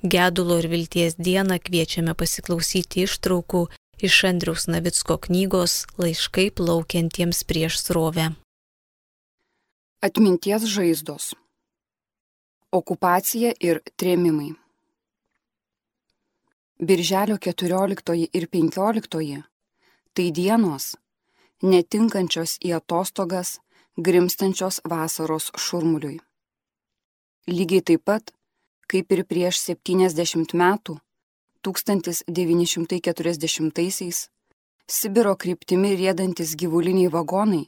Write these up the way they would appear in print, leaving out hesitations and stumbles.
Gedulo ir vilties dieną kviečiame pasiklausyti ištraukų iš Andriaus Navicko knygos Laiškai plaukiantiems prieš srovę. Atminties žaizdos. Okupacija ir trėmimai. Birželio 14 ir 15 tai dienos, netinkančios į atostogas, grimstančios vasaros šurmuliui. Lygiai taip pat, kaip ir prieš 70 metų, 1940-aisiais, Sibiro kryptimi riedantis gyvuliniai vagonai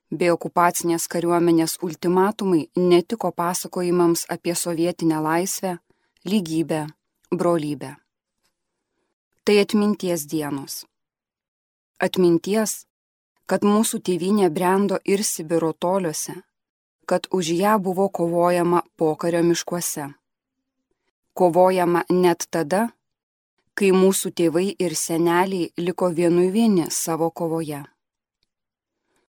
bei okupacinės kariuomenės ultimatumai netiko pasakojimams apie sovietinę laisvę, lygybę, brolybę. Tai atminties dienos. Atminties, kad mūsų tėvynė brendo ir Sibiro toliuose, kad už ją buvo kovojama pokario miškuose. Kovojama net tada, kai mūsų tėvai ir seneliai liko vieni savo kovoje.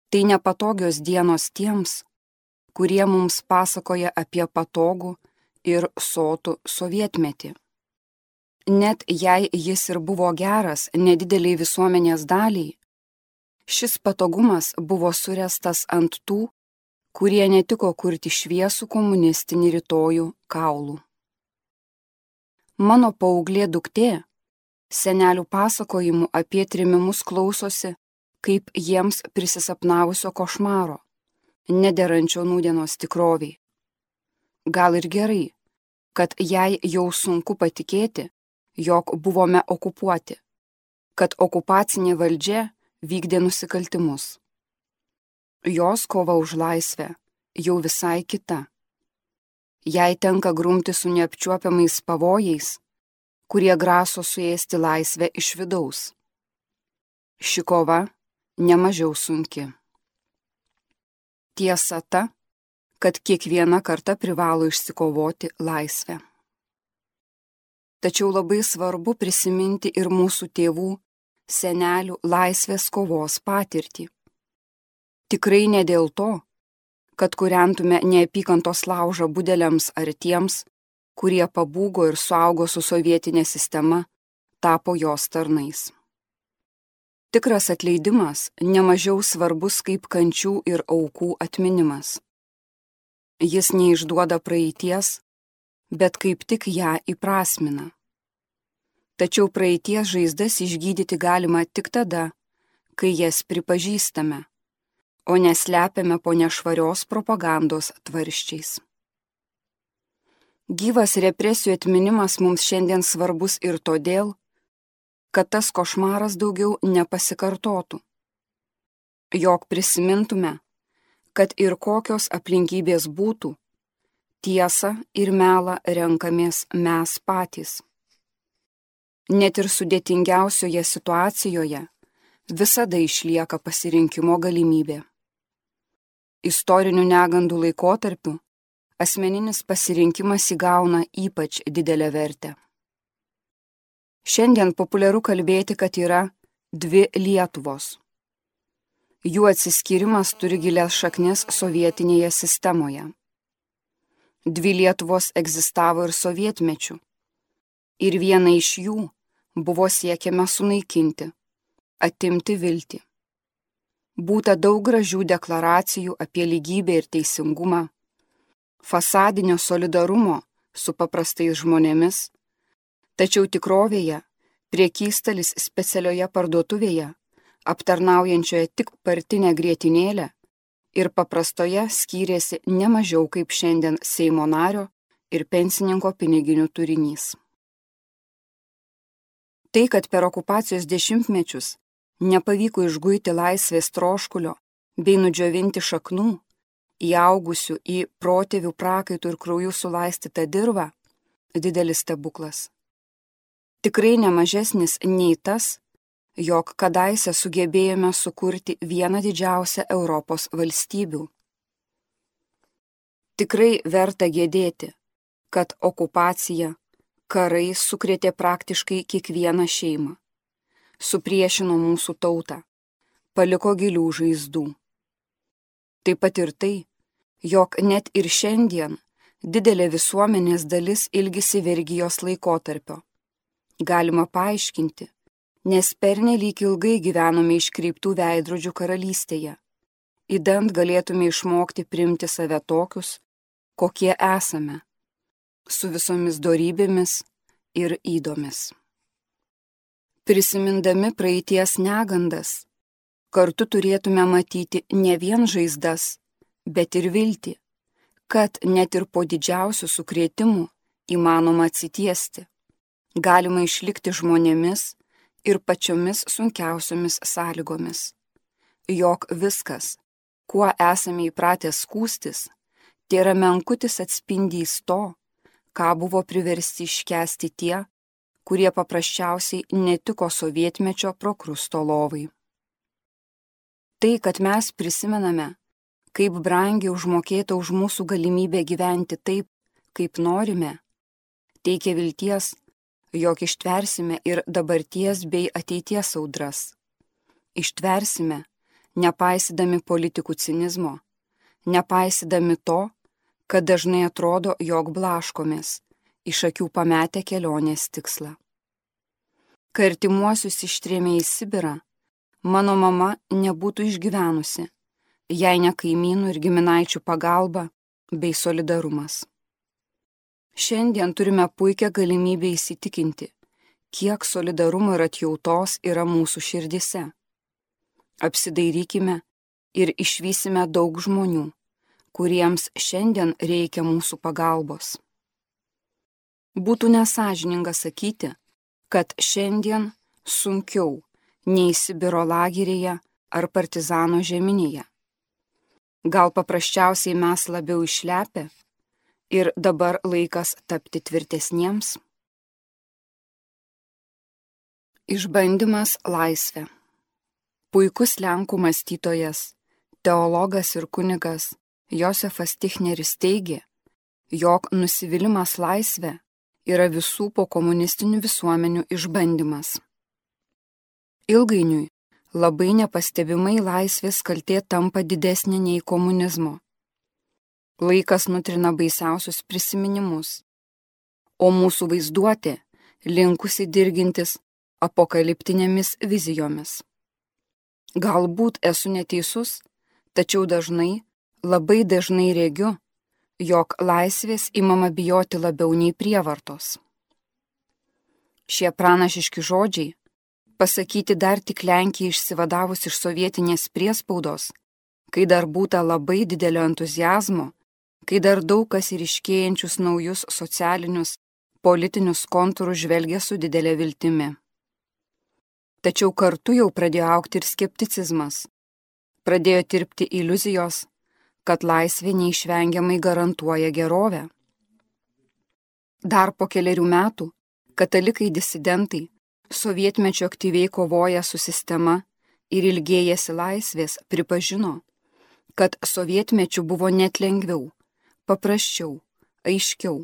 Tai nepatogios dienos tiems, kurie mums pasakoja apie patogų ir sotų sovietmetį. Net jei jis ir buvo geras nedideliai visuomenės daliai, šis patogumas buvo suręstas ant tų, kurie netiko kurti šviesų komunistinį rytojų kaulų. Mano paauglė duktė senelių pasakojimų apie trėmimus klausosi kaip jiems prisisapnavusio košmaro, nederančio nūdienos tikroviai. Gal ir gerai, kad jai jau sunku patikėti, jog buvome okupuoti, kad okupacinė valdžia vykdė nusikaltimus. Jos kova už laisvę jau visai kita. Jai tenka grumti su neapčiuopiamais pavojais, kurie graso suėsti laisvę iš vidaus. Ši kova nemažiau sunki. Tiesa ta, kad kiekviena karta privalo išsikovoti laisvę. Tačiau labai svarbu prisiminti ir mūsų tėvų, senelių laisvės kovos patirtį. Tikrai ne dėl to, kad kūrentume neapykantos laužą budeliams ar tiems, kurie pabūgo ir suaugo su sovietinė sistema, tapo jos tarnais. Tikras atleidimas nemažiau svarbus kaip kančių ir aukų atminimas. Jis neišduoda praeities, bet kaip tik ją įprasmina. Tačiau praeities žaizdas išgydyti galima tik tada, kai jas pripažįstame, o neslepiame po nešvarios propagandos tvarsčiais. Gyvas represijų atminimas mums šiandien svarbus ir todėl, kad tas košmaras daugiau nepasikartotų. Jog prisimintume, kad ir kokios aplinkybės būtų, tiesą ir melą renkamės mes patys. Net ir sudėtingiausioje situacijoje visada išlieka pasirinkimo galimybė. Istorinių negandų laikotarpiu asmeninis pasirinkimas įgauna ypač didelę vertę. Šiandien populiaru kalbėti, kad yra dvi Lietuvos. Jų atsiskyrimas turi gilias šaknis sovietinėje sistemoje. Dvi Lietuvos egzistavo ir sovietmečiu, ir vieną iš jų buvo siekiama sunaikinti, atimti viltį. Būta daug gražių deklaracijų apie lygybę ir teisingumą, fasadinio solidarumo su paprastais žmonėmis, tačiau tikrovėje prekystalis specialioje parduotuvėje, aptarnaujančioje tik partinę grietinėlę ir paprastoje skyrėsi ne mažiau kaip šiandien Seimo nario ir pensininko piniginių turinys. Tai, kad per okupacijos dešimtmečius nepavyko išguiti laisvės troškulio bei nudžiovinti šaknų, įaugusių į protėvių prakaitų ir kraujų sulaistytą dirvą, didelis stebuklas. Tikrai nemažesnis nei tas, jog kadaise sugebėjome sukurti vieną didžiausią Europos valstybių. Tikrai verta gėdėti, kad okupacija, karai sukrėtė praktiškai kiekvieną šeimą, supriešino mūsų tautą, paliko gilių žaizdų. Taip pat ir tai, jog net ir šiandien Didelė visuomenės dalis ilgisi vergijos laikotarpio. Galima paaiškinti, nes pernelyg ilgai gyvenome iškreiptų veidrodžių karalystėje. Idant galėtume išmokti priimti save tokius, kokie esame, su visomis dorybėmis ir ydomis. Prisimindami praeities negandas, kartu turėtume matyti ne vien žaizdas, bet ir viltį, kad net ir po didžiausių sukrėtimų įmanoma atsitiesti, galima išlikti žmonėmis ir pačiomis sunkiausiomis sąlygomis, jog viskas, kuo esame įpratę skųstis, tėra menkutis atspindys to, ką buvo priversti iškęsti tie, kurie paprasčiausiai netiko sovietmečio prokrusto lovai. Tai, kad mes prisimename, kaip brangiai užmokėta už mūsų galimybę gyventi taip, kaip norime, teikia vilties, jog ištversime ir dabarties bei ateities audras. Ištversime, nepaisydami politikų cinizmo, nepaisydami to, kad dažnai atrodo, jog blaškomės, iš akių pametę kelionės tikslą. Kai artimuosius ištrėmė į Sibirą, mano mama nebūtų išgyvenusi, jei ne kaimynų ir giminaičių pagalba bei solidarumas. Šiandien turime puikią galimybę įsitikinti, kiek solidarumo ir atjautos yra mūsų širdise. Apsidairykime ir išvysime daug žmonių, kuriems šiandien reikia mūsų pagalbos. Būtų nesąžininga sakyti, kad šiandien sunkiau nei Sibiro lageryje ar partizano žeminėje. Gal paprasčiausiai mes labiau išlepę ir dabar laikas tapti tvirtesniems? Išbandymas laisvė. Puikus lenkų mąstytojas, teologas ir kunigas Josefas Tichneris teigė, jog nusivylimas laisvė yra visų pokomunistinių visuomenių išbandymas. Ilgainiui labai nepastebimai laisvės kaltė tampa didesnė nei komunizmo. Laikas nutrina baisiausius prisiminimus, o mūsų vaizduotė linkusi dirgintis apokaliptinėmis vizijomis. Galbūt esu neteisus, tačiau labai dažnai regiu, jog laisvės imama bijoti labiau nei prievartos. Šie pranašiški žodžiai, pasakyti dar tik Lenkijai išsivadavus iš sovietinės priespaudos, kai dar būta labai didelio entuziazmo, kai dar daug kas ir iškėjančius naujus socialinius, politinius kontūrus žvelgia su didelė viltimi. Tačiau kartu jau pradėjo augti ir skepticizmas, pradėjo tirpti iliuzijos, kad laisvė neišvengiamai garantuoja gerovę. Dar po kelerių metų katalikai disidentai sovietmečio aktyviai kovoja su sistema ir ilgėjasi laisvės pripažino, kad sovietmečiu buvo net lengviau, paprasčiau, aiškiau.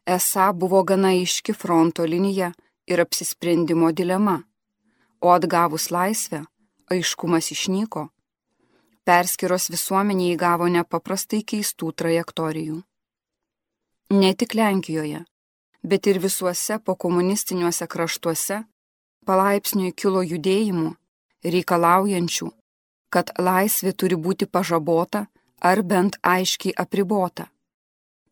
Esą buvo gana aiški fronto linija ir apsisprendimo dilema, o atgavus laisvę, aiškumas išnyko. Perskyros visuomenė įgavo nepaprastai keistų trajektorijų. Ne tik Lenkijoje, bet ir visuose pokomunistiniuose kraštuose palaipsniui kilo judėjimų, reikalaujančių, kad laisvė turi būti pažabota ar bent aiškiai apribota.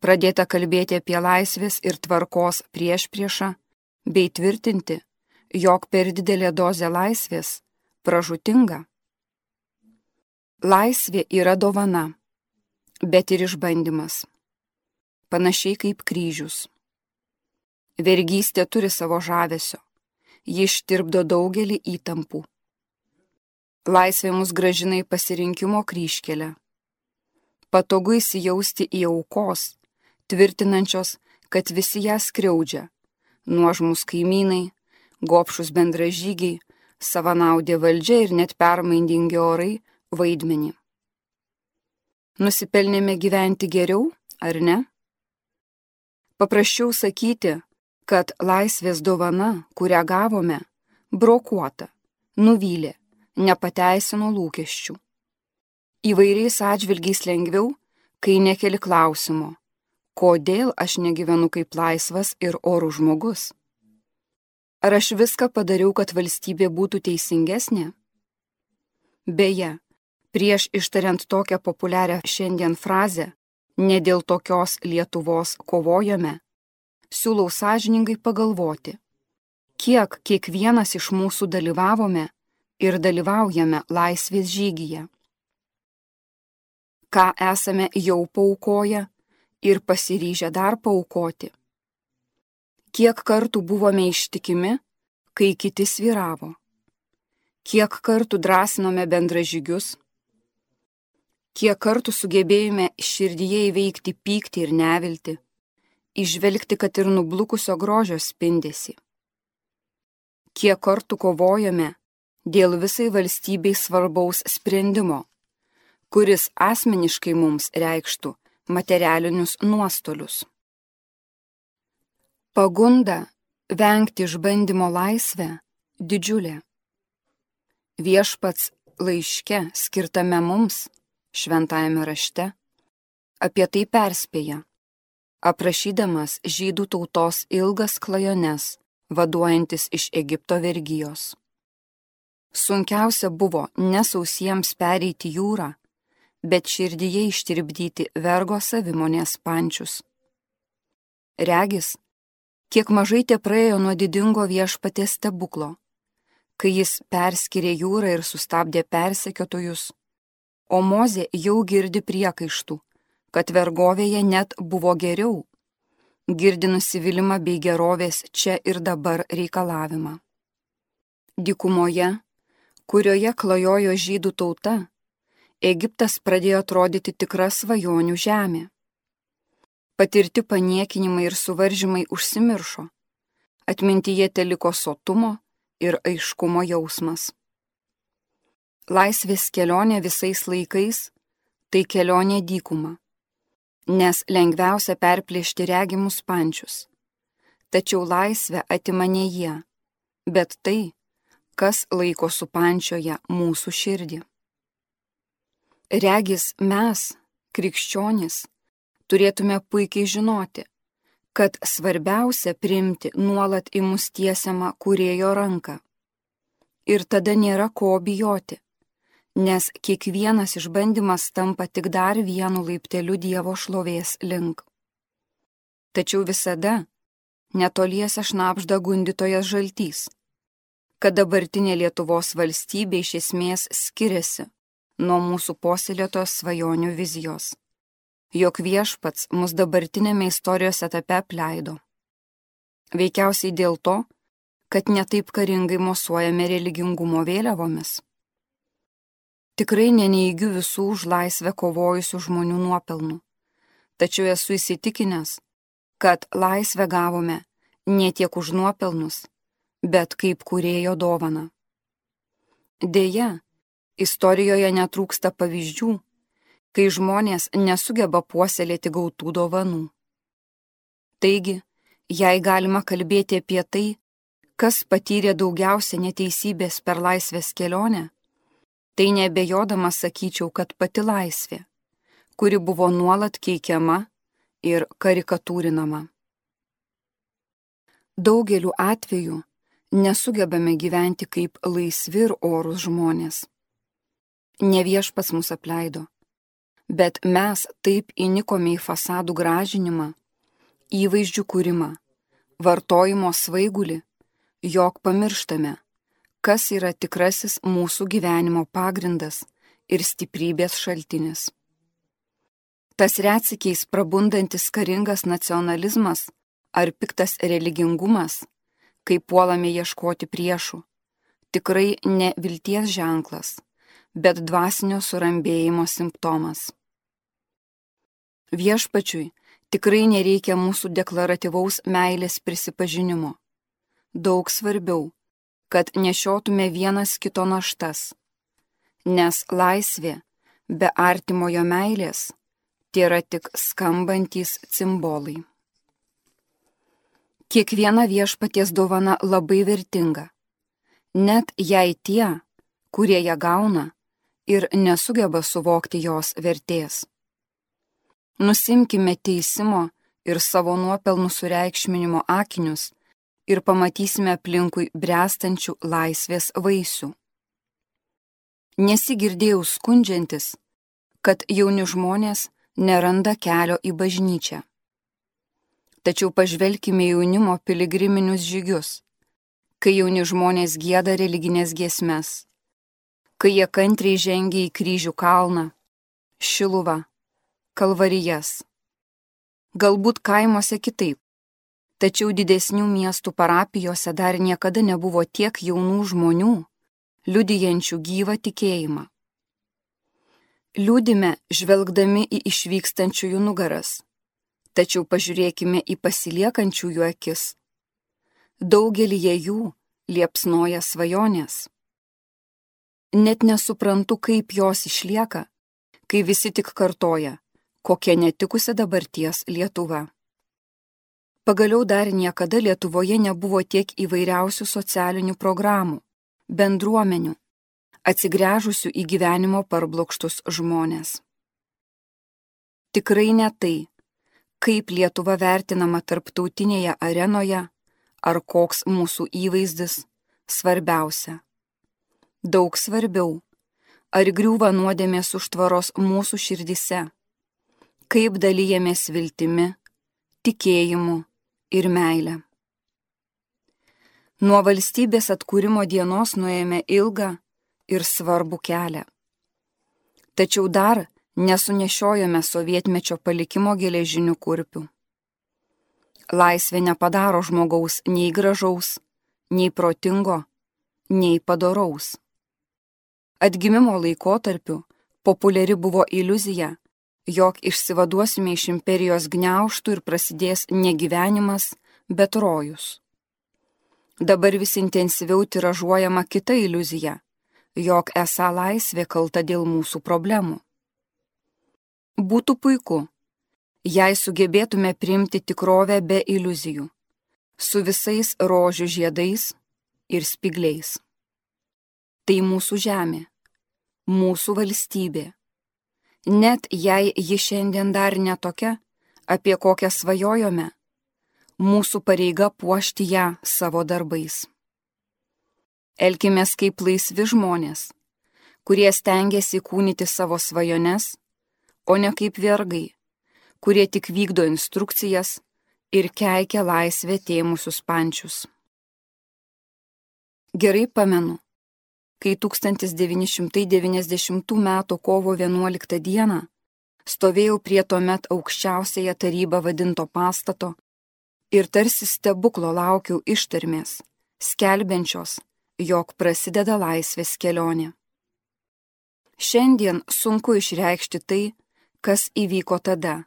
Pradėta kalbėti apie laisvės ir tvarkos priešpriešą, bei tvirtinti, jog per didelė dozė laisvės pražūtinga. Laisvė yra dovana, bet ir išbandymas. Panašiai kaip kryžius. Vergystė turi savo žavesio, ji ištirpdo daugelį įtampų. Laisvė mus grąžina į pasirinkimo kryžkelę. Patogu įsijausti į aukos, tvirtinančios, kad visi ją skriaudžia, nuožmūs kaimynai, gobšus bendražygiai, savanaudė valdžia ir net permaindingi orai vaidmenį. Nusipelnėme gyventi geriau, ar ne? Paprasčiau sakyti, kad laisvės dovana, kurią gavome, brokuota, nuvylė, nepateisino lūkesčių. Įvairiais atžvilgiais lengviau, kai nekeli klausimo, Kodėl aš negyvenu kaip laisvas ir orus žmogus? Ar aš viską padariau, kad valstybė būtų teisingesnė? Beje, prieš ištariant tokią populiarią šiandien frazę, ne dėl tokios Lietuvos kovojame, siūlau sąžiningai pagalvoti, kiek kiekvienas iš mūsų dalyvavome ir dalyvaujame laisvės žygyje. Ką esame jau paaukoję ir pasiryžę dar paaukoti. Kiek kartų buvome ištikimi, kai kiti svyravo. Kiek kartų drąsinome bendražygius. Kiek kartų sugebėjome širdyje įveikti pyktį ir neviltį, įžvelgti, kad ir nublukusio grožio spindesį. Kiek kartų kovojame dėl visai valstybei svarbaus sprendimo, kuris asmeniškai mums reikštų materialinius nuostolius. Pagunda vengti išbandymo laisvę didžiulė. Viešpats laiške skirtame mums, šventajame rašte, apie tai perspėja, aprašydamas žydų tautos ilgas klajones, vaduojantis iš Egipto vergijos. Sunkiausia buvo nesausiems pereiti jūrą, bet širdyje ištirpdyti vergo savimonės pančius. Regis, kiek mažai te praėjo nuo didingo Viešpaties stebuklo, kai jis perskyrė jūrą ir sustabdė persekiotojus, o Mozė jau girdi priekaištų, kad vergovėje net buvo geriau, girdi nusivylimą bei gerovės čia ir dabar reikalavimą. Dykumoje, kurioje klajojo žydų tauta, Egiptas pradėjo atrodyti tikra svajonių žemė. Patirti paniekinimai ir suvaržymai užsimiršo, atmintyje teliko sotumo ir aiškumo jausmas. Laisvės kelionė visais laikais – tai kelionė dykuma, nes lengviausia perplėšti regimus pančius. Tačiau laisvę atima ne jie, bet tai, kas laiko supančioje mūsų širdį. Regis mes, krikščionys, turėtume puikiai žinoti, kad svarbiausia priimti nuolat į mus tiesiamą Kūrėjo ranką. Ir tada nėra ko bijoti, nes kiekvienas išbandymas tampa tik dar vienu laipteliu Dievo šlovės link. Tačiau visada netoliese šnabžda gundytojas žaltys, kad dabartinė Lietuvos valstybė iš esmės skiriasi nuo mūsų puoselėtos svajonių vizijos, jog Viešpats mus dabartinėme istorijos etape apleido. Veikiausiai dėl to, kad netaip karingai mosuojame religingumo vėliavomis. Tikrai neneigiu visų už laisvę kovojusių žmonių nuopelnų, tačiau esu įsitikinęs, kad laisvę gavome ne tiek už nuopelnus, bet kaip Kūrėjo dovana. Deja, istorijoje netrūksta pavyzdžių, kai žmonės nesugeba puoselėti gautų dovanų. Taigi, jei galima kalbėti apie tai, kas patyrė daugiausia neteisybės per laisvės kelionę, tai neabejodamas sakyčiau, kad pati laisvė, kuri buvo nuolat keikiama ir karikatūrinama. Daugeliu atveju nesugebame gyventi kaip laisvi ir orūs žmonės. Ne Viešpats mus apleido, bet mes taip įnikome į fasadų gražinimą, įvaizdžių kūrimą, vartojimo svaigulį, jog pamirštame, kas yra tikrasis mūsų gyvenimo pagrindas ir stiprybės šaltinis. Tas retsykiais prabundantis karingas nacionalizmas ar piktas religingumas, kai puolame ieškoti priešų, tikrai ne vilties ženklas, bet dvasinio surambėjimo simptomas. Viešpačiui tikrai nereikia mūsų deklaratyvaus meilės prisipažinimo. Daug svarbiau, kad nešiotume vienas kito naštas, nes laisvė be artimojo meilės tėra tik skambantys cimbolai. Kiekviena Viešpaties dovana labai vertinga, net jei tie, kurie ją gauna, ir nesugeba suvokti jos vertės. Nusimkime teisimo ir savo nuopelnų sureikšminimo akinius ir pamatysime aplinkui bręstančių laisvės vaisių. Nesigirdėjau skundžiantis, kad jauni žmonės neranda kelio į bažnyčią. Tačiau pažvelkime jaunimo piligriminius žygius, kai jauni žmonės gieda religinės giesmes, kai jie kantriai žengia į Kryžių kalną, Šiluvą, Kalvarijas. Galbūt kaimuose kitaip, tačiau didesnių miestų parapijose dar niekada nebuvo tiek jaunų žmonių, liudijančių gyvą tikėjimą. Liūdime žvelgdami į išvykstančiųjų nugaras, tačiau pažiūrėkime į pasiliekančiųjų akis. Daugelyje jų liepsnoja svajonės. Net nesuprantu, kaip jos išlieka, kai visi tik kartoja, kokia netikusi dabarties Lietuva. Pagaliau dar niekada Lietuvoje nebuvo tiek įvairiausių socialinių programų, bendruomenių, atsigręžusių į gyvenimo parblokštus žmonės. Tikrai ne tai, kaip Lietuva vertinama tarptautinėje arenoje, ar koks mūsų įvaizdis, svarbiausia. Daug svarbiau, ar griūva nuodėmės užtvaros mūsų širdise, kaip dalijamės viltimi, tikėjimu ir meile. Nuo valstybės atkūrimo dienos nuėjome ilgą ir svarbų kelią. Tačiau dar nesunešiojame sovietmečio palikimo geležinių kurpių. Laisvė nepadaro žmogaus nei gražaus, nei protingo, nei padoraus. Atgimimo laikotarpiu populiari buvo iliuzija, jog išsivaduosime iš imperijos gniaužtų ir prasidės ne gyvenimas, bet rojus. Dabar vis intensyviau tiražuojama kita iliuzija, jog esą laisvė kalta dėl mūsų problemų. Būtų puiku, jei sugebėtume priimti tikrovę be iliuzijų, su visais rožių žiedais ir spygliais. Tai mūsų žemė, mūsų valstybė. Net jei ji šiandien dar netokia, apie kokią svajojome, mūsų pareiga puošti ją savo darbais. Elkimės kaip laisvi žmonės, kurie stengiasi įkūnyti savo svajones, o ne kaip vergai, kurie tik vykdo instrukcijas ir keikia laisvę tėmusius pančius. Gerai pamenu, kai 1990 m. kovo 11 d. stovėjau prie tuomet aukščiausiąją tarybą vadinto pastato ir tarsi stebuklo laukiau ištarmės, skelbiančios, jog prasideda laisvės kelionė. Šiandien sunku išreikšti tai, kas įvyko tada,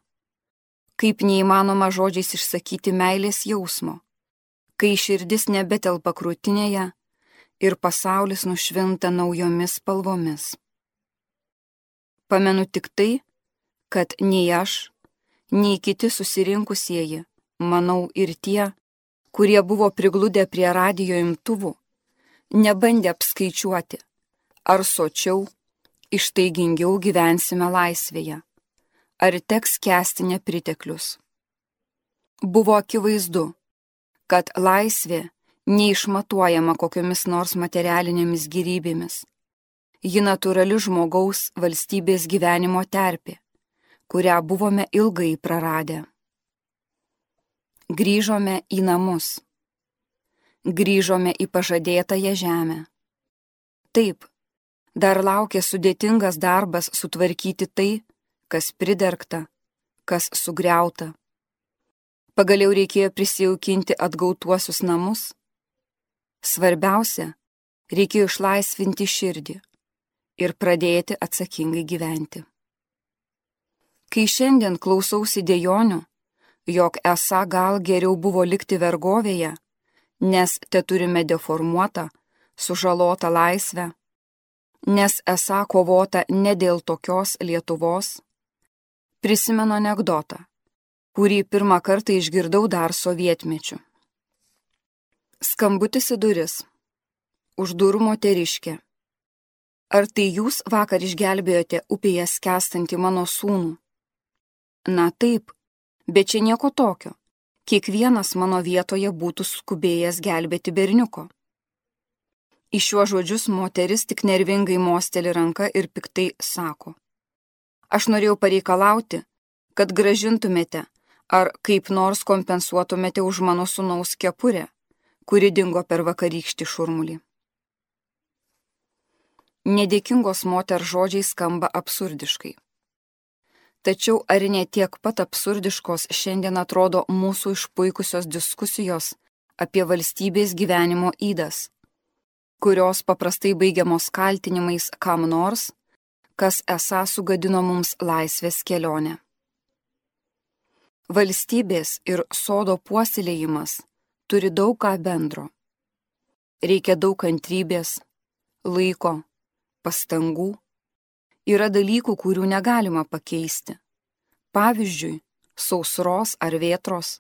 kaip neįmanoma žodžiais išsakyti meilės jausmo, kai širdis nebetelpa krūtinėje ir pasaulis nušvinta naujomis spalvomis. Pamenu tik tai, kad nei aš, nei kiti susirinkusieji, manau ir tie, kurie buvo prigludę prie radijo imtuvų, nebandė apskaičiuoti, ar sočiau, ištaigingiau gyvensime laisvėje, ar teks kęsti nepriteklius. Buvo akivaizdu, kad laisvė neišmatuojama kokiomis nors materialinėmis gyrybėmis. Ji natūrali žmogaus valstybės gyvenimo terpė, kurią buvome ilgai praradę. Grįžome į namus. Grįžome į pažadėtąją žemę. Taip, dar laukia sudėtingas darbas sutvarkyti tai, kas pridergta, kas sugriauta. Pagaliau reikėjo prisijaukinti atgautuosius namus. Svarbiausia, reikėjo išlaisvinti širdį ir pradėti atsakingai gyventi. Kai šiandien klausausi dejonių, jog esą gal geriau buvo likti vergovėje, nes teturime deformuotą, sužalotą laisvę, nes esą kovota ne dėl tokios Lietuvos, prisimenu anekdotą, kurį pirmą kartą išgirdau dar sovietmečiu. Skambutis į duris. Už durų moteriškė. Ar tai jūs vakar išgelbėjote upėje skęstantį mano sūnų? Na taip, Bet čia nieko tokio. Kiekvienas mano vietoje būtų skubėjęs gelbėti berniuko. Į šiuos žodžius moteris tik nervingai mosteli ranka ir piktai sako: Aš norėjau pareikalauti, kad grąžintumėte ar kaip nors kompensuotumėte už mano sūnaus kepurę, kuri dingo per vakarykštį šurmulį. Nedėkingos moters žodžiai skamba absurdiškai. Tačiau ar ne tiek pat absurdiškos šiandien atrodo mūsų išpuikusios diskusijos apie valstybės gyvenimo ydas, kurios paprastai baigiamos kaltinimais kam nors, kas esą sugadino mums laisvės kelionę. Valstybės ir sodo puoselėjimas turi daug ką bendro. Reikia daug kantrybės, laiko, pastangų. Yra dalykų, kurių negalima pakeisti. Pavyzdžiui, sausros ar vėtros.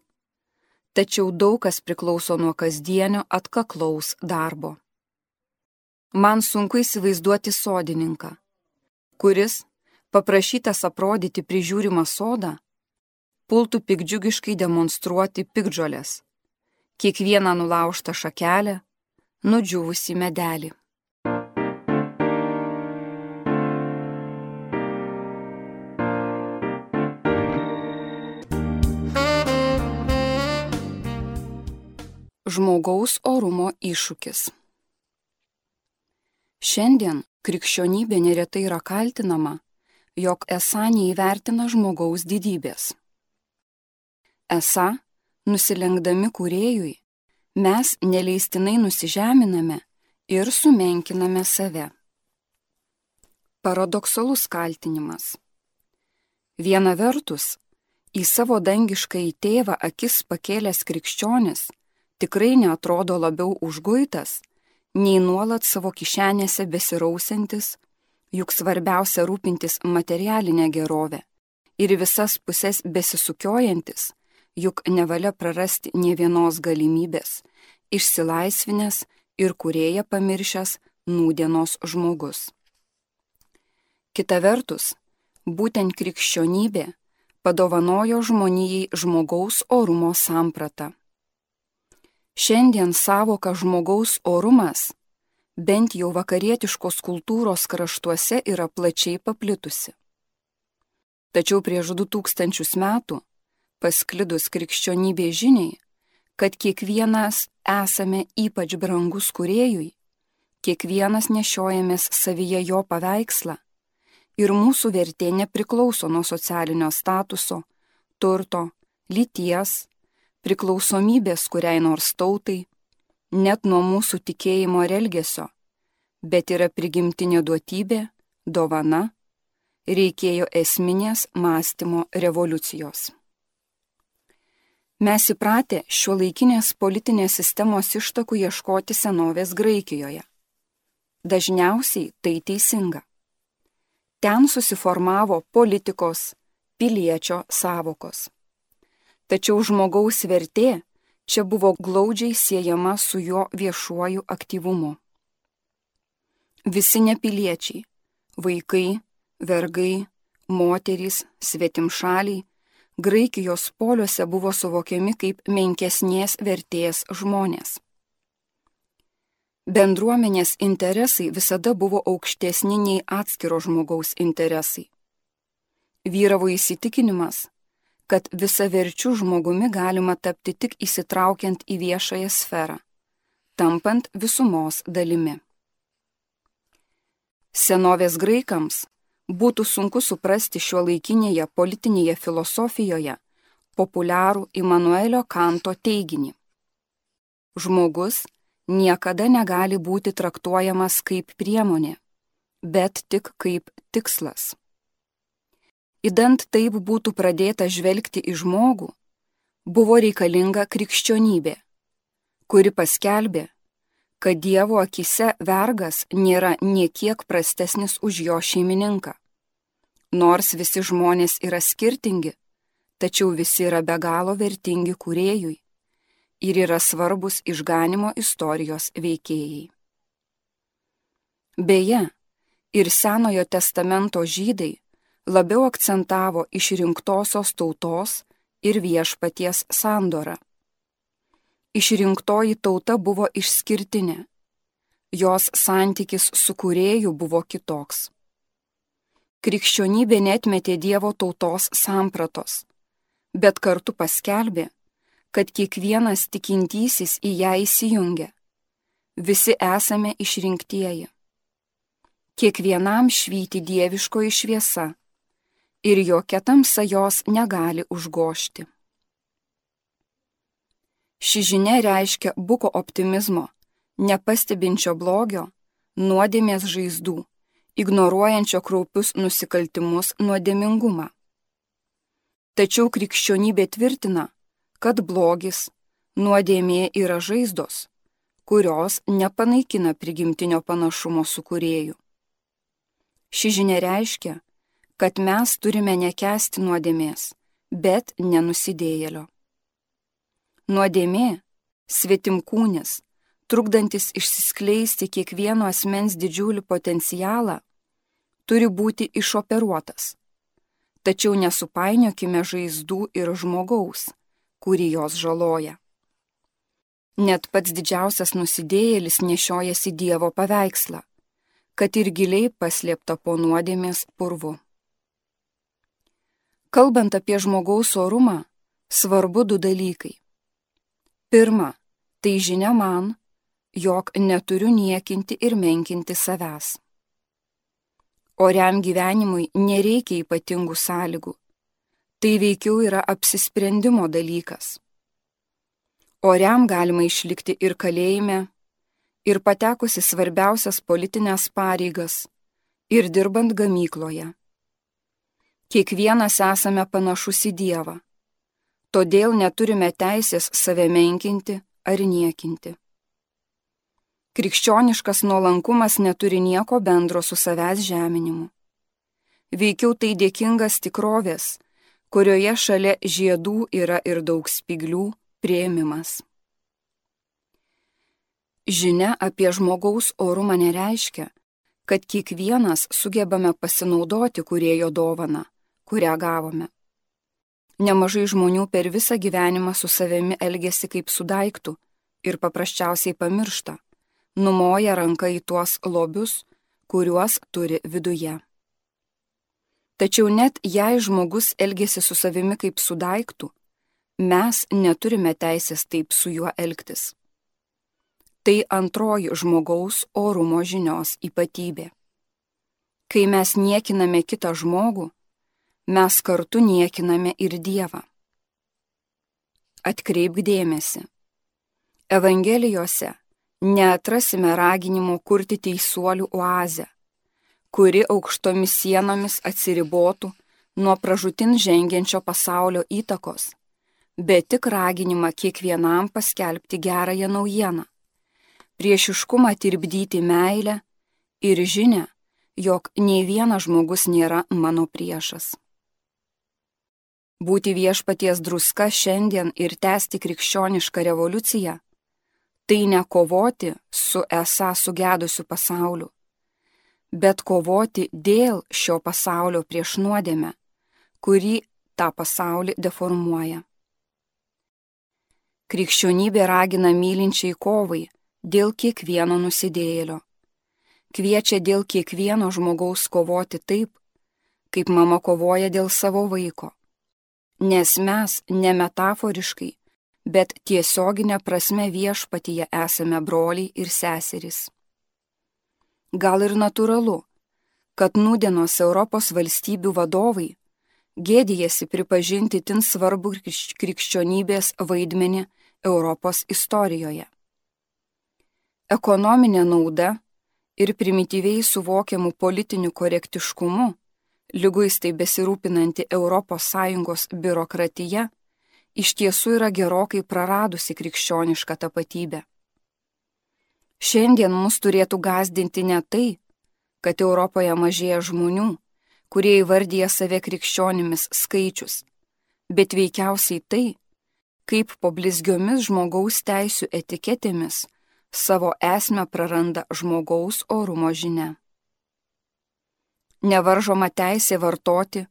Tačiau daug kas priklauso nuo kasdienio atkaklaus darbo. Man sunku įsivaizduoti sodininką, kuris, paprašytas aprodyti prižiūrimą sodą, pultų piktdžiugiškai demonstruoti piktžoles, kiekvieną nulaužtą šakelę, nudžiūvusį medelį. Žmogaus orumo iššūkis. Šiandien krikščionybė neretai yra kaltinama, jog esą neįvertina žmogaus didybės. Esą, nusilenkdami kūrėjui, mes neleistinai nusižeminame ir sumenkiname save. Paradoksalus kaltinimas. Viena vertus, į savo dangiškąjį tėvą akis pakėlęs krikščionis tikrai neatrodo labiau užguitas, nei nuolat savo kišenėse besirausiantis, juk svarbiausia rūpintis materialinę gerovę ir visas pusės besisukiojantis, juk nevalia prarasti nė vienos galimybės, išsilaisvinęs ir kūrėją pamiršęs nūdienos žmogus. Kita vertus, būtent krikščionybė padovanojo žmonijai žmogaus orumo sampratą. Šiandien savoka žmogaus orumas, bent jau vakarietiškos kultūros kraštuose, yra plačiai paplitusi. Tačiau prieš 2000 metų, pasklidus krikščionybės žiniai, kad kiekvienas esame ypač brangus kūrėjui, kiekvienas nešiojamės savyje jo paveikslą ir mūsų vertė nepriklauso nuo socialinio statuso, turto, lyties, priklausomybės kuriai nors tautai, net nuo mūsų tikėjimo ir elgesio, bet yra prigimtinė duotybė, dovana, reikėjo esminės mąstymo revoliucijos. Mes įpratę šiuolaikinės politinės sistemos ištakų ieškoti senovės Graikijoje. Dažniausiai tai teisinga. Ten susiformavo politikos, piliečio sąvokos. Tačiau žmogaus vertė čia buvo glaudžiai siejama su jo viešuoju aktyvumu. Visi nepiliečiai, vaikai, vergai, moterys, svetimšaliai, Graikijos poliuose buvo suvokiami kaip menkesnės vertės žmonės. Bendruomenės interesai visada buvo aukštesni nei atskiro žmogaus interesai. Vyravo įsitikinimas, kad visaverčiu žmogumi galima tapti tik įsitraukiant į viešąją sferą, tampant visumos dalimi. Senovės graikams būtų sunku suprasti šiuolaikinėje politinėje filosofijoje populiarų Imanuelio Kanto teiginį. Žmogus niekada negali būti traktuojamas kaip priemonė, bet tik kaip tikslas. Idant taip būtų pradėta žvelgti į žmogų, buvo reikalinga krikščionybė, kuri paskelbė, kad Dievo akyse vergas nėra niekiek prastesnis už jo šeimininką. Nors visi žmonės yra skirtingi, tačiau visi yra be galo vertingi kūrėjui ir yra svarbus išganimo istorijos veikėjai. Beje, ir Senojo testamento žydai labiau akcentavo išrinktosios tautos ir viešpaties sandora. Išrinktoji tauta buvo išskirtinė, jos santykis su Kūrėju buvo kitoks. Krikščionybė neatmetė Dievo tautos sampratos, bet kartu paskelbė, kad kiekvienas tikintysis į ją įsijungia. Visi esame išrinktieji. Kiekvienam švyti dieviškoji šviesa ir jokia tamsa jos negali užgožti. Ši žinia reiškia buko optimizmo, nepastebinčio blogio, nuodėmės žaizdų, ignoruojančio kraupius nusikaltimus nuodėmingumą. Tačiau krikščionybė tvirtina, kad blogis, nuodėmė yra žaizdos, kurios nepanaikina prigimtinio panašumo su Kūrėju. Ši žinia reiškia, kad mes turime nekęsti nuodėmės, bet nenusidėjėlio. Nuodėmė, svetimkūnis, trukdantis išsiskleisti kiekvieno asmens didžiulį potencialą, turi būti išoperuotas. Tačiau nesupainiokime žaizdų ir žmogaus, kurį jos žaloja. Net pats didžiausias nusidėjėlis nešiojasi Dievo paveikslą, kad ir giliai paslėpta po nuodėmės purvu. Kalbant apie žmogaus orumą, svarbu du dalykai. Pirma, tai žinia man, jog neturiu niekinti ir menkinti savęs. Oriam gyvenimui nereikia ypatingų sąlygų. Tai veikiau yra apsisprendimo dalykas. Oriam galima išlikti ir kalėjime, ir patekusi svarbiausias politinės pareigas, ir dirbant gamykloje. Kiekvienas esame panašus į Dievą, todėl neturime teisės save menkinti ar niekinti. Krikščioniškas nuolankumas neturi nieko bendro su savęs žeminimu. Veikiau tai dėkingas tikrovės, kurioje šalia žiedų yra ir daug spyglių, priėmimas. Žinia apie žmogaus orumą nereiškia, kad kiekvienas sugebame pasinaudoti Kūrėjo dovaną, kurią gavome. Nemažai žmonių per visą gyvenimą su savimi elgiasi kaip su daiktu ir paprasčiausiai pamiršta, numoja ranką į tuos lobius, kuriuos turi viduje. Tačiau net jei žmogus elgiasi su savimi kaip su daiktu, mes neturime teisės taip su juo elgtis. Tai antroji žmogaus orumo žinios ypatybė. Kai mes niekiname kitą žmogų, mes kartu niekiname ir Dievą. Atkreipk dėmesį. Evangelijose neatrasime raginimo kurti teisuolių oazę, kuri aukštomis sienomis atsiribotų nuo pražūtin žengiančio pasaulio įtakos, bet tik raginimą kiekvienam paskelbti gerąją naujieną, priešiškumą tirpdyti meilę ir žinią, jog nei vienas žmogus nėra mano priešas. Būti viešpaties druska šiandien ir tęsti krikščionišką revoliuciją – tai ne kovoti su esą sugedusiu pasauliu, bet kovoti dėl šio pasaulio prieš nuodėmę, kuri tą pasaulį deformuoja. Krikščionybė ragina mylinčiai kovai dėl kiekvieno nusidėjėlio. Kviečia dėl kiekvieno žmogaus kovoti taip, kaip mama kovoja dėl savo vaiko. Nes mes ne metaforiškai, bet tiesioginė prasme viešpatyje esame broliai ir seserys. Gal ir natūralu, kad nūdienos Europos valstybių vadovai gėdijasi pripažinti tin svarbų krikščionybės vaidmenį Europos istorijoje. Ekonominė nauda ir primityviai suvokiamų politinių korektiškumu, liguistai besirūpinanti ES biurokratija, iš tiesų yra gerokai praradusi krikščionišką tapatybę. Šiandien mus turėtų gąsdinti ne tai, kad Europoje mažėja žmonių, kurie įvardyja save krikščionimis skaičius, bet veikiausiai tai, kaip po blizgiomis žmogaus teisių etiketėmis savo esmę praranda žmogaus orumo žinia. Nevaržoma teisė vartoti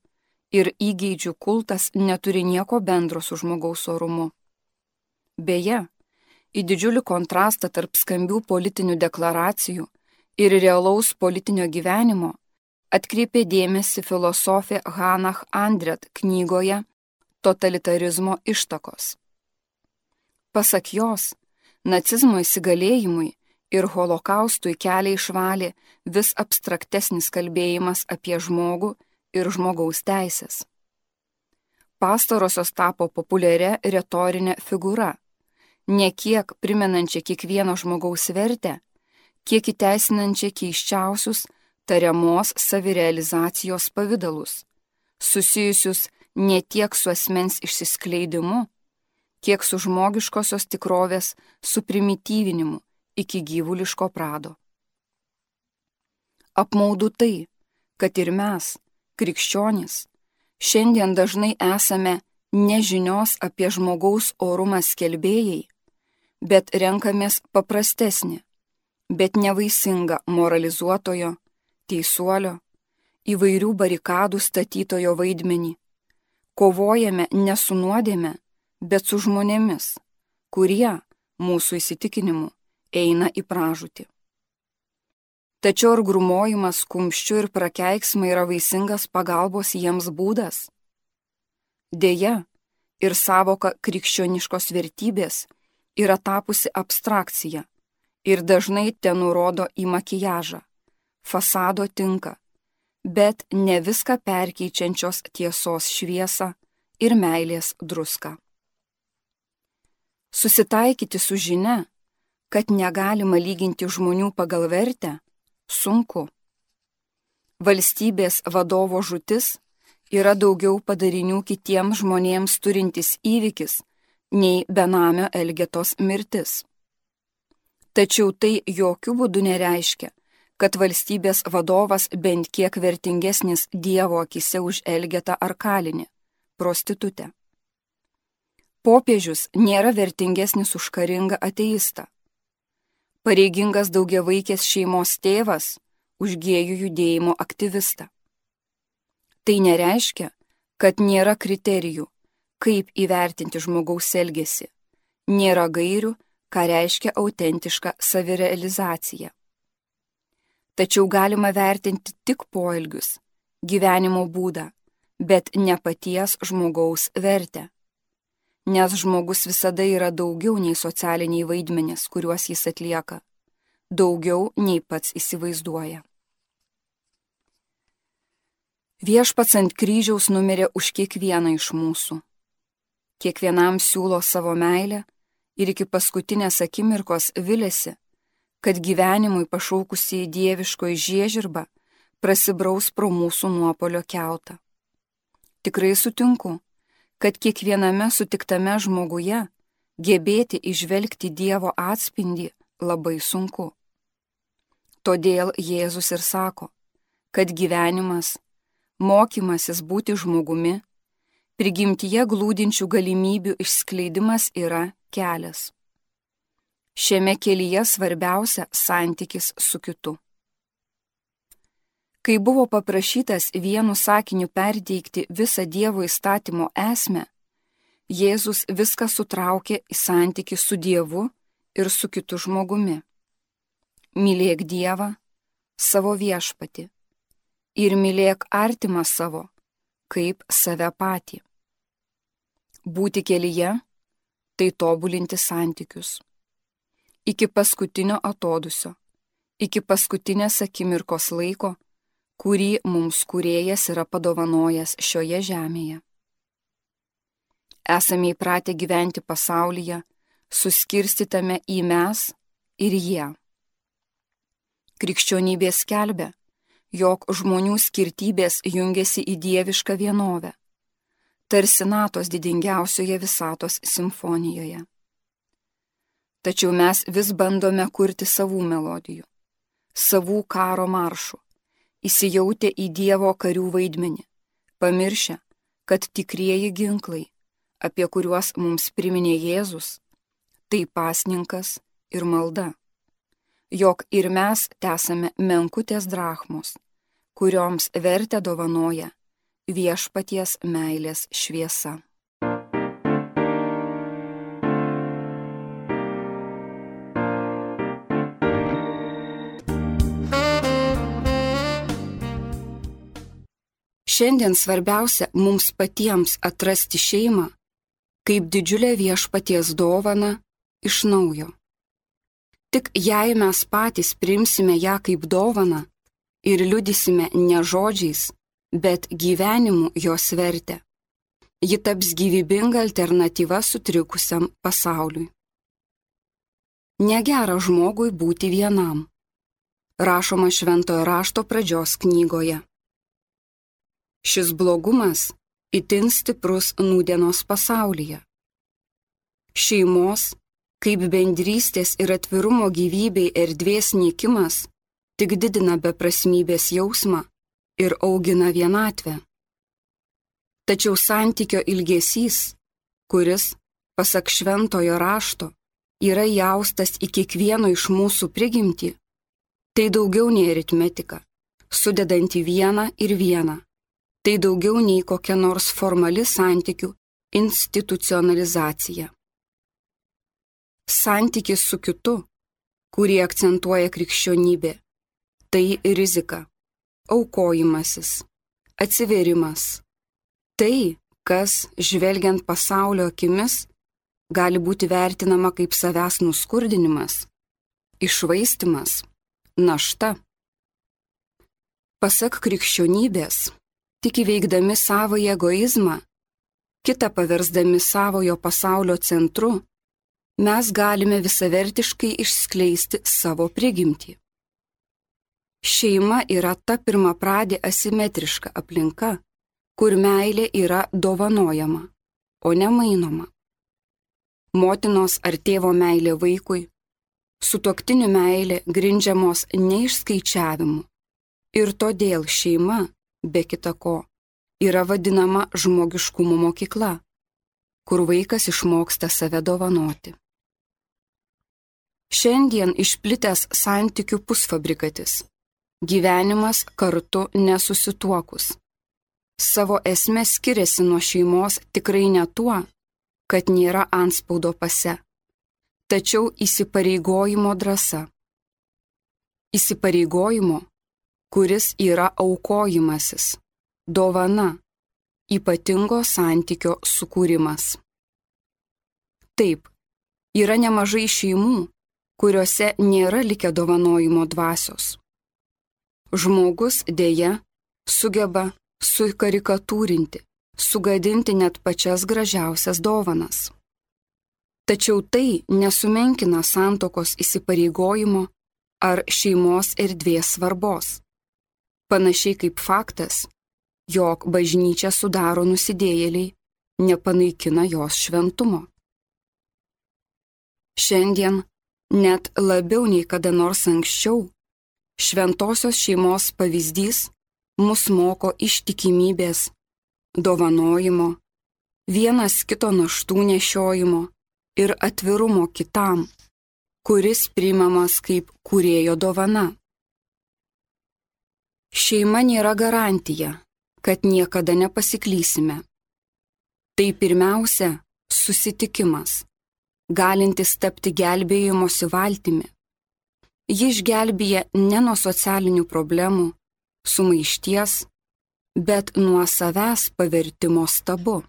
ir įgeidžių kultas neturi nieko bendro su žmogaus orumu. Beje, į didžiulį kontrastą tarp skambių politinių deklaracijų ir realaus politinio gyvenimo atkreipė dėmesį filosofė Hannah Arendt knygoje Totalitarizmo ištakos. Pasak jos, nacizmo įsigalėjimui ir holokaustui kelią išvalė vis abstraktesnis kalbėjimas apie žmogų ir žmogaus teisės. Pastarosios tapo populiaria retorinė figūra, ne kiek primenančia kiekvieno žmogaus vertę, kiek įteisinančia keisčiausius tariamos savirealizacijos pavidalus, susijusius ne tiek su asmens išsiskleidimu, kiek su žmogiškosios tikrovės suprimityvinimu iki gyvuliško prado. Apmaudu tai, kad ir mes, krikščionys, šiandien dažnai esame nežinios apie žmogaus orumą skelbėjai, bet renkamės paprastesnį, bet nevaisingą moralizuotojo, teisuolio, įvairių barikadų statytojo vaidmenį. Kovojame ne su nuodėme, bet su žmonėmis, kurie, mūsų įsitikinimu, eina į pražūtį. Tačiau ar grūmojimas kumščiu ir prakeiksmai yra vaisingas pagalbos jiems būdas? Deja, ir savoka krikščioniškos vertybės yra tapusi abstrakcija ir dažnai tenurodo į makiažą, fasado tinka, bet ne viską perkeičiančios tiesos šviesą ir meilės druską. Susitaikyti su žinia, kad negalima lyginti žmonių pagal vertę, sunku. Valstybės vadovo žūtis yra daugiau padarinių kitiems žmonėms turintis įvykis nei benamio Elgetos mirtis. Tačiau tai jokių būdų nereiškia, kad valstybės vadovas bent kiek vertingesnis Dievo akise už Elgetą ar kalinį, prostitutę. Popiežius nėra vertingesnis už karingą ateistą. Pareigingas daugiavaikės šeimos tėvas už gėjų judėjimo aktyvistą. Tai nereiškia, kad nėra kriterijų, kaip įvertinti žmogaus elgesį, nėra gairių, ką reiškia autentiška savirealizacija. Tačiau galima vertinti tik poelgius, gyvenimo būdą, bet ne paties žmogaus vertę. Nes žmogus visada yra daugiau nei socialiniai vaidmenys, kuriuos jis atlieka, daugiau nei pats įsivaizduoja. Viešpats ant kryžiaus numirė už kiekvieną iš mūsų. Kiekvienam siūlo savo meilę ir iki paskutinės akimirkos viliasi, kad gyvenimui pašaukusi į dieviškoji žiežirbą prasibraus pro mūsų nuopuolio kiautą. Tikrai sutinku, kad kiekviename sutiktame žmoguje gebėti įžvelgti Dievo atspindį labai sunku. Todėl Jėzus ir sako, kad gyvenimas, mokymasis būti žmogumi, prigimtyje glūdinčių galimybių išskleidimas yra kelias. Šiame kelyje svarbiausia santykis su kitu. Kai buvo paprašytas vienu sakiniu perteikti visą Dievo įstatymo esmę, Jėzus viską sutraukė į santykį su Dievu ir su kitu žmogumi. Mylėk Dievą, savo viešpatį, ir mylėk artimą savo, kaip save patį. Būti kelyje – tai tobulinti santykius. Iki paskutinio atodūsio, iki paskutinės akimirkos laiko, kurį mums Kūrėjas yra padovanojęs šioje žemėje. Esame įpratę gyventi pasaulyje, suskirstytame į mes ir jie. Krikščionybė skelbia, jog žmonių skirtybės jungiasi į dievišką vienovę, tarsi natos didingiausioje visatos simfonijoje. Tačiau mes vis bandome kurti savų melodijų, savų karo maršų, įsijautę į Dievo karių vaidmenį, pamiršę, kad tikrieji ginklai, apie kuriuos mums priminė Jėzus, tai pasninkas ir malda, jog ir mes tesame menkutės drachmos, kurioms vertę dovanoja viešpaties meilės šviesa. Šiandien svarbiausia mums patiems atrasti šeimą kaip didžiulę viešpaties dovaną iš naujo. Tik jei mes patys priimsime ją kaip dovaną ir liudysime ne žodžiais, bet gyvenimu jos vertę, ji taps gyvybinga alternatyva sutrikusiam pasauliui. Negera žmogui būti vienam, rašoma Šventojo rašto pradžios knygoje. Šis blogumas itin stiprus nūdienos pasaulyje. Šeimos, kaip bendrystės ir atvirumo gyvybei erdvės nykimas, tik didina beprasmybės jausmą ir augina vienatvę. Tačiau santykio ilgesys, kuris, pasak Šventojo rašto, yra įaustas į kiekvieno iš mūsų prigimtį, tai daugiau nei aritmetika, sudedanti vieną ir vieną. Tai daugiau nei kokia nors formali santykių institucionalizacija. Santykis su kitu, kurį akcentuoja krikščionybė, tai rizika, aukojimasis, atsivėrimas. Tai, kas, žvelgiant pasaulio akimis, gali būti vertinama kaip savęs nuskurdinimas, iššvaistymas, našta. Pasak krikščionybės, tik įveikdami savąjį egoizmą, kitą paversdami savojo pasaulio centru, mes galime visavertiškai išskleisti savo prigimtį. Šeima yra ta pirmapradė asimetriška aplinka, kur meilė yra dovanojama, o ne mainoma. Motinos ar tėvo meilė vaikui, sutuoktinių meilė grindžiamos neišskaičiavimu, ir todėl šeima, be kita ko, yra vadinama žmogiškumo mokykla, kur vaikas išmoksta save dovanoti. Šiandien išplitęs santykių pusfabrikatis, gyvenimas kartu nesusituokus. Savo esmę skiriasi nuo šeimos tikrai ne tuo, kad nėra antspaudo pase, tačiau įsipareigojimo drąsa. Įsipareigojimo, kuris yra aukojimasis, dovana, ypatingo santykio sukūrimas. Taip, yra nemažai šeimų, kuriuose nėra likę dovanojimo dvasios. Žmogus dėja sugeba sukarikatūrinti, sugadinti net pačias gražiausias dovanas. Tačiau tai nesumenkina santuokos įsipareigojimo ar šeimos erdvės svarbos. Panašiai kaip faktas, jog bažnyčia sudaro nusidėjėliai, nepanaikina jos šventumo. Šiandien, net labiau nei kada nors anksčiau, šventosios šeimos pavyzdys mus moko ištikimybės, dovanojimo, vienas kito naštų nešiojimo ir atvirumo kitam, kuris priimamas kaip kūrėjo dovana. Šeima nėra garantija, kad niekada nepasiklysime. Tai pirmiausia susitikimas, galintis tapti gelbėjimosi valtimi. Ji išgelbėja ne nuo socialinių problemų, sumaišties, bet nuo savęs pavertimo stabu.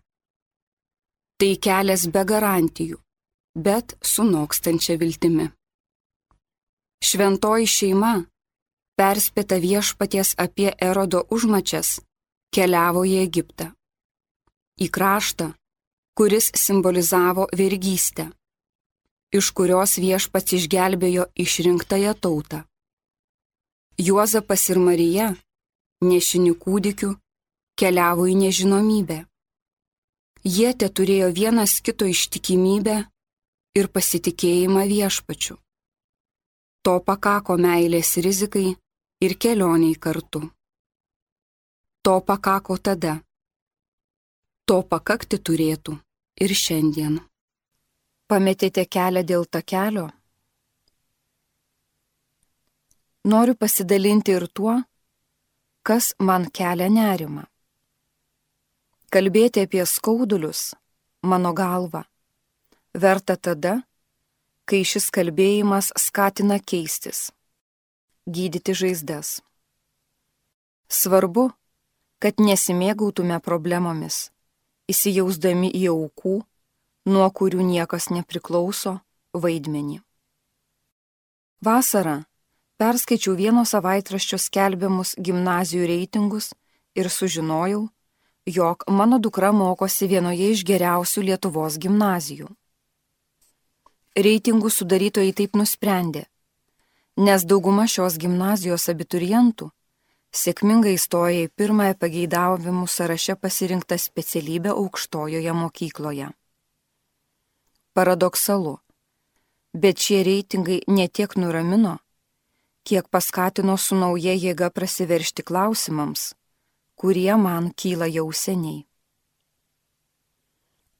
Tai kelias be garantijų, bet su nokstančia viltimi. Šventoji šeima, perspėta viešpaties apie Erodo užmačias, keliavo į Egiptą. Į kraštą, kuris simbolizavo vergystę, iš kurios viešpats išgelbėjo išrinktąją tautą. Juozapas ir Marija, nešini kūdikių, keliavo į nežinomybę. Jie teturėjo vienas kito ištikimybę ir pasitikėjimą viešpačiu. To pakako meilės rizikai ir kelioniai kartu. To pakako tada. To pakakti turėtų ir šiandien. Pametėte kelią dėl takelio? Noriu pasidalinti ir tuo, kas man kelia nerimą. Kalbėti apie skaudulius, mano galva, verta tada, kai šis kalbėjimas skatina keistis, gydyti žaizdas. Svarbu, kad nesimėgautume problemomis, įsijausdami į aukų, nuo kurių niekas nepriklauso, vaidmenį. Vasarą perskaičiau vieno savaitraščio skelbiamus gimnazijų reitingus ir sužinojau, jog mano dukra mokosi vienoje iš geriausių Lietuvos gimnazijų. Reitingų sudarytojai taip nusprendė, nes dauguma šios gimnazijos abiturientų sėkmingai įstoja į pirmąją pageidavimų sąraše pasirinktą specialybę aukštojoje mokykloje. Paradoksalu, bet šie reitingai ne tiek nuramino, kiek paskatino su nauja jėga prasiveržti klausimams, kurie man kyla jau seniai.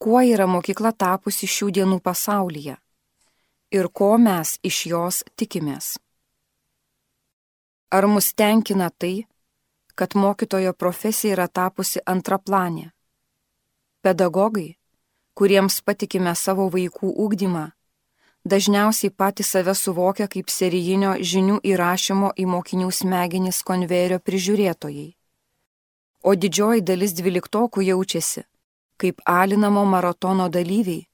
Kuo yra mokykla tapusi šių dienų pasaulyje ir ko mes iš jos tikimės? Ar mus tenkina tai, kad mokytojo profesija yra tapusi antraplanė? Pedagogai, kuriems patikime savo vaikų ugdymą, dažniausiai patys save suvokia kaip serijinio žinių įrašymo į mokinių smegenis konvejerio prižiūrėtojai, o didžioji dalis dvyliktokų jaučiasi kaip alinamo maratono dalyviai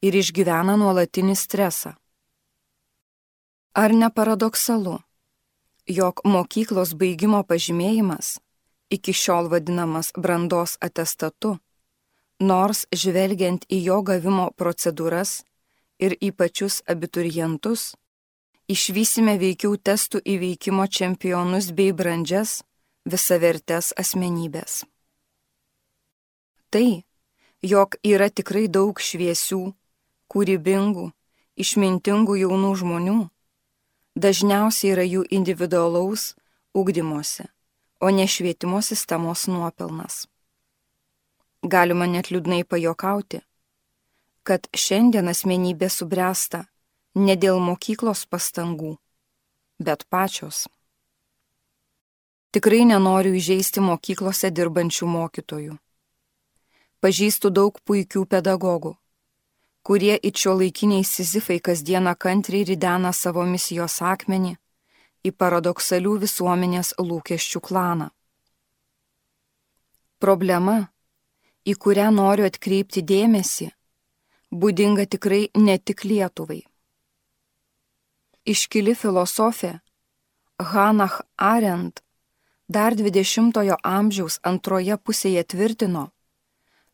ir išgyvena nuolatinį stresą. Ar ne paradoksalu, jog mokyklos baigimo pažymėjimas, iki šiol vadinamas brandos atestatu, nors žvelgiant į jo gavimo procedūras ir į pačius abiturientus, išvysime veikiau testų įveikimo čempionus bei brandžias, visavertes asmenybės. Tai, jog yra tikrai daug šviesių, kūrybingų, išmintingų jaunų žmonių, dažniausiai yra jų individualaus ugdymosi, o ne švietimo sistemos nuopelnas. Galima net liūdnai pajokauti, kad šiandien asmenybė subręsta ne dėl mokyklos pastangų, bet pačios. Tikrai nenoriu įžeisti mokyklose dirbančių mokytojų. Pažįstu daug puikių pedagogų, kurie it šiuolaikiniai sizifai kasdieną kantriai ridena savo misijos akmenį į paradoksalių visuomenės lūkesčių klaną. Problema, į kurią noriu atkreipti dėmesį, būdinga tikrai ne tik Lietuvai. Iškili filosofė Hannah Arendt dar 20-ojo amžiaus antroje pusėje tvirtino,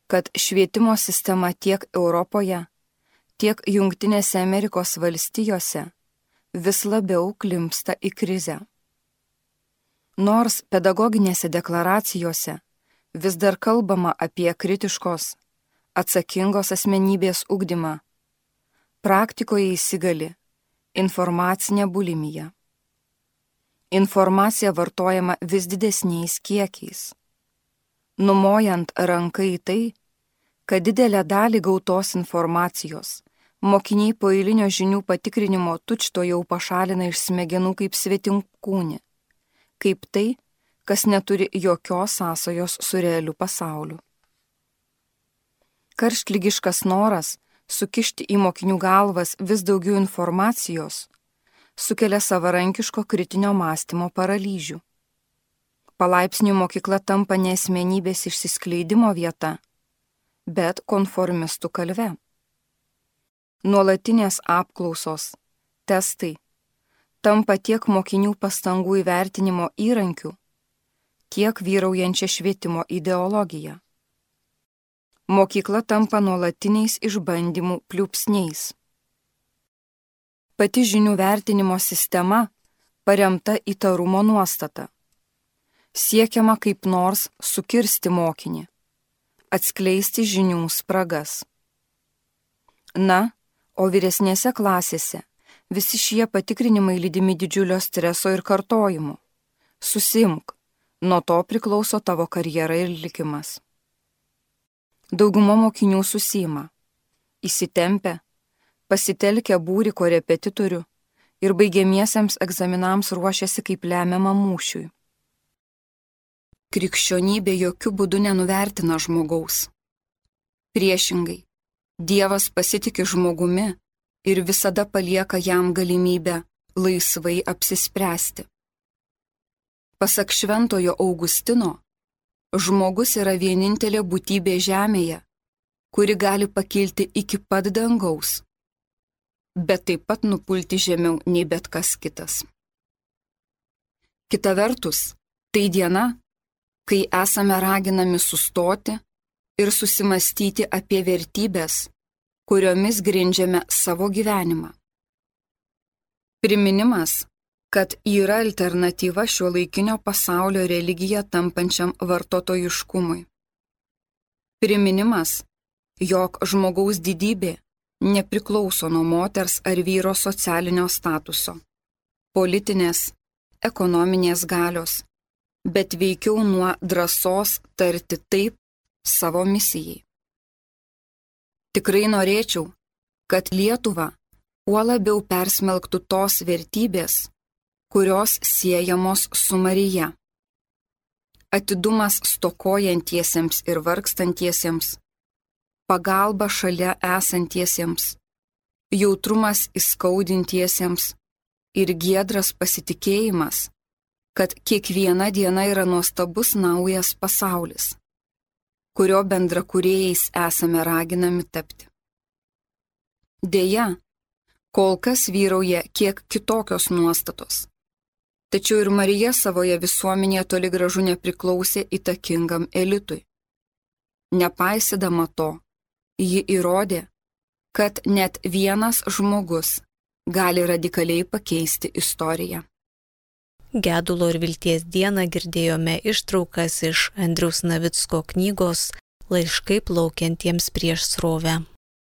kad švietimo sistema tiek Europoje, tiek Jungtinėse Amerikos valstijose vis labiau klimpsta į krizę. Nors pedagoginėse deklaracijose vis dar kalbama apie kritiškos, atsakingos asmenybės ugdymą, praktikoje įsigali informacinė bulimija. Informacija vartojama vis didesniais kiekiais, numojant ranką į tai, kad didelę dalį gautos informacijos mokiniai po eilinio žinių patikrinimo tučto jau pašalina iš smegenų kaip svetimkūnį, kaip tai, kas neturi jokios sąsajos su realiu pasauliu. Karštligiškas noras sukišti į mokinių galvas vis daugiau informacijos sukelia savarankiško kritinio mąstymo paralyžių. Palaipsniui mokykla tampa ne asmenybės išsiskleidimo vieta, bet konformistų kalve. Nuolatinės apklausos, testai tampa tiek mokinių pastangų įvertinimo įrankių, tiek vyraujančia švietimo ideologija. Mokykla tampa nuolatiniais išbandymų pliūpsniais. Pati žinių vertinimo sistema paremta įtarumo nuostata. Siekiama kaip nors sukirsti mokinį, atskleisti žinių spragas. Na, o vyresnėse klasėse visi šie patikrinimai lydimi didžiulio streso ir kartojimų. Susimk, nuo to priklauso tavo karjera ir likimas. Dauguma mokinių susima, įsitempia, pasitelkia būrį korepetitorių ir baigiamiesiems egzaminams ruošiasi kaip lemiamam mūšiui. krikščionybė jokių būdų nenuvertina žmogaus. Priešingai, Dievas pasitiki žmogumi ir visada palieka jam galimybę laisvai apsispręsti. Pasak Šventojo Augustino, žmogus yra vienintelė būtybė žemėje, kuri gali pakilti iki pat dangaus, bet taip pat nupulti žemiau nei bet kas kitas. Kita vertus, tai diena, kai esame raginami sustoti ir susimastyti apie vertybės, kuriomis grindžiame savo gyvenimą. Priminimas, kad yra alternatyva šiuolaikinio pasaulio religija tampančiam vartotojiškumui. Priminimas, jog žmogaus didybė nepriklauso nuo moters ar vyro socialinio statuso, politinės, ekonominės galios, bet veikiau nuo drąsos tarti taip savo misijai. Tikrai norėčiau, kad Lietuva kuo labiau persmelktų tos vertybės, kurios siejamos su Marija. Atidumas stokojantiesiems ir vargstantiesiems, pagalba šalia esantiesiems, jautrumas įskaudintiesiems ir giedras pasitikėjimas, kad kiekviena diena yra nuostabus naujas pasaulis, kurio bendrakūrėjais esame raginami tapti. Deja, kol kas vyrauja kiek kitokios nuostatos, tačiau ir Marija savoje visuomenėje toli gražu nepriklausė įtakingam elitui. Nepaisydama to, ji įrodė, kad net vienas žmogus gali radikaliai pakeisti istoriją. Gedulo ir vilties dieną girdėjome ištraukas iš Andriaus Navicko knygos Laiškai plaukiantiems prieš srovę.